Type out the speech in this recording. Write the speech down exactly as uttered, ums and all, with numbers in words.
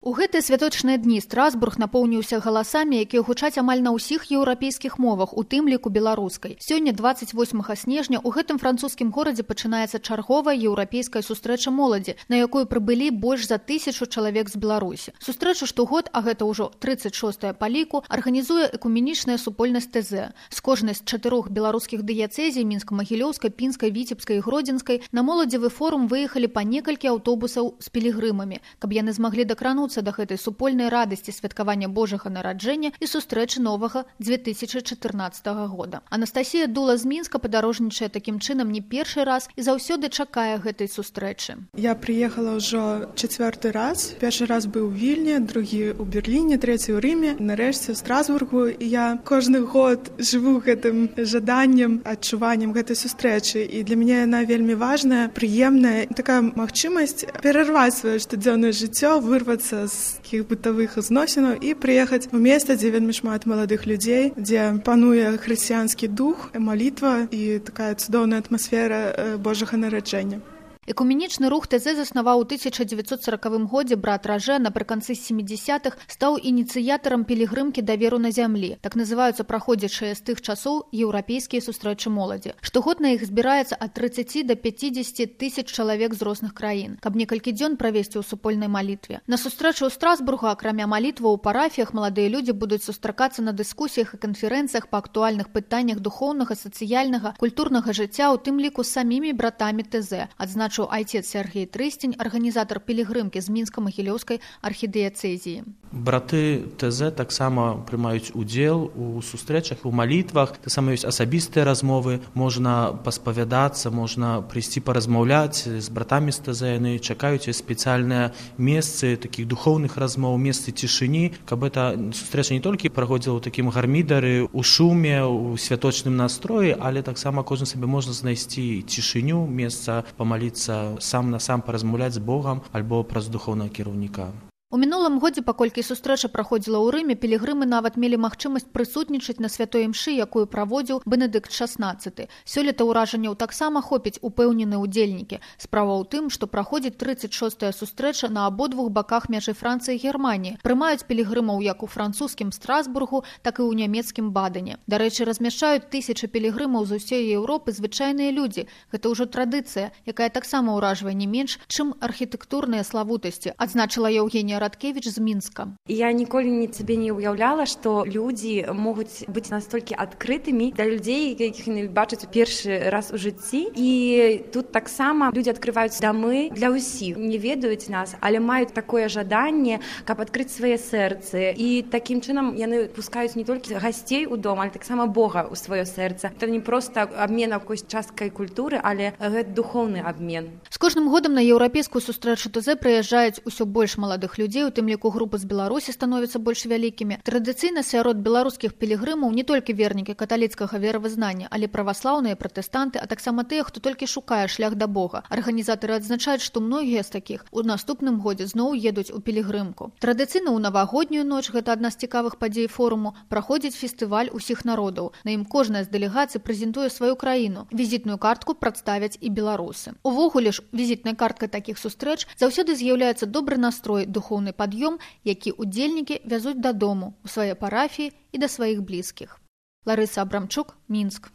У гэтыя святочныя дні Страсбург напоўніўся галасамі, якія гучаць амаль на ўсіх еўрапейскіх мовах, у тым ліку беларускай. Сёння, дваццаць восьмага снежня, у гэтым французскім горадзе пачынаецца чарговая еўрапейская сустрэча моладзі, на якую прыбылі больш за тысячу чалавек з Беларусі. Сустрэчу штогод, а гэта ўжо трыццаць шостая па ліку, арганізуе экуменічная супольнасць тэ зэ. З кожнай з чатырох беларускіх дыяцэзій мінска-магілёўскай, пінскай, віцебскай і гродзенскай на моладзевы форум выехалі па некалькі аўтобусаў з пілігрымамі, каб яны змаглі дакрануцца да гэтай супольнай радасці святкавання Божага нараджэння і сустрэчы новага дзве тысячы чатырнаццатага года. Анастасія Дула з Мінска падарожнічае такім чынам не першы раз і заўсёды чакае гэтай сустрэчы. Я прыехала ўжо чацвёрты раз. Першы раз быў у Вільні, другі ў Берліне, трэці ў Рыме, нарэшце ў Страсбургу. І я кожны год жыву гэтым жаданнем, адчуваннем гэтай сустрэчы. І для мяне яна вельмі важная, прыемная, такая магчымасць перарваць сваё штодзённае жыццё, вырвацца з такіх бытавых зносінаў і прыехаць у месца, дзе вельмі шмат маладых людзей, дзе пануе хрысціянскі дух, малітва і такая цудоўная атмасфера Божага нараджэння. Экуменічны рух тэ зэ заснаваў у тысяча дзевяцьсот саракавым годзе брат Ражэ, напрыканцы сямідзясятых стаў ініцыятарам пілігрымкі да веру на зямлі. Так называюцца праходзячыя з тых часоў еўрапейскія сустрэчы моладзі. Штогод на іх збіраецца ад трыццаці да пяцідзесяці тысяч чалавек з розных краін, каб некалькі дзён правесці ў супольнай малітве. На сустрэчу ў Страсбургу, акрамя малітваў у парафіях, маладыя людзі будуць сустракацца на дыскусіях і канферэнцыях па актуальных пытаннях духоўнага, сацыяльнага, культурнага жыцця, у тым ліку з самімі братамі тэ зэ, адзначыў айцец Сергей Трыстень, арганізатар пілігрымкі з мінска-магілёўскай архідыяцэзіі. Браты тэ зэ таксама прымаюць удзел у сустрэчах, у малітвах, таксама ёсць асабістыя размовы, можна паспавядацца, можна прыйсці паразмаўляць з братамі з тэ зэ, яны чакаюць спецыяльныя месцы такіх духоўных размоў, месцы цішыні, каб эта сустрэча не толькі праходзіла ў такім гармідары, у шуме, у святочным настроі, але таксама кожны сабе можна знайсці цішыню, месца памаліцца сам на сам паразмаўляць з Богам альбо праз духоўнага кіраўніка. У мінулым годзе, паколькі сустрэча праходзіла ў Рыме, пілігрымы нават мелі магчымасць прысутнічаць на святой імшы, якую праводзіў Бенедыкт шаснаццаты. Сёлета ўражанняў таксама хопіць упэўненыя ўдзельнікі. Справа ў тым, што праходзіць трыццаць шостая сустрэча на абодвух баках мяжы Францыі і Германіі. Прымаюць пілігрымаў як у французскім Страсбургу, так і ў нямецкім Бадене. Дарэчы, размяшчаюць тысячы пілігрымаў з усёй Еўропы звычайныя людзі. Гэта ўжо традыцыя, якая таксама ўражвае не менш, чым архітэктурныя славутасці, адзначыла Еўгенія Радкевіч з Мінска. Я ніколі не сабе не ўяўляла, што людзі могуць быць настолькі адкрытымі да людзей, якіх яны бачаць у першы раз у жыцці. І тут таксама людзі адкрываюць дамы для ўсіх. Не ведаюць нас, але маюць такое жаданне, каб адкрыць свае сэрцы. І такім чынам яны пускаюць не толькі гасцей у дом, але таксама Бога ў сваё сэрца. Це не проста абмен якоюсь часткай культуры, але гэта духоўны абмен. З кожным годам на еўрапейскую сустрэчу тэ зэ прыязджаюць усё больш маладых людзей, у тым ліку групы з Беларусі становяцца больш вялікімі. Традыцыйна сярод беларускіх пілігрымаў не толькі вернікі каталіцкага веравызнання, але праваслаўныя, пратэстанты, а таксама тыя, хто толькі шукае шлях да Бога. Арганізатары адзначаюць, што многія з такіх у наступным годзе зноў едуць у пілігрымку. Традыцыйна ў навагоднюю ноч, гэта адна з цікавых падзей форуму, праходзіць фестываль усіх народаў. На ім кожная з дэлегацый прэзентуе сваю краіну. Візітную картку прадставяць і беларусы. Увогуле ж, візітнай карткай такіх сустрэч заўсёды з'яўляецца добры настрой, духоўны пад'ём, які удзельнікі вязуць дадому, у свае парафіі і да сваіх блізкіх. Ларыса Абрамчук, Мінск.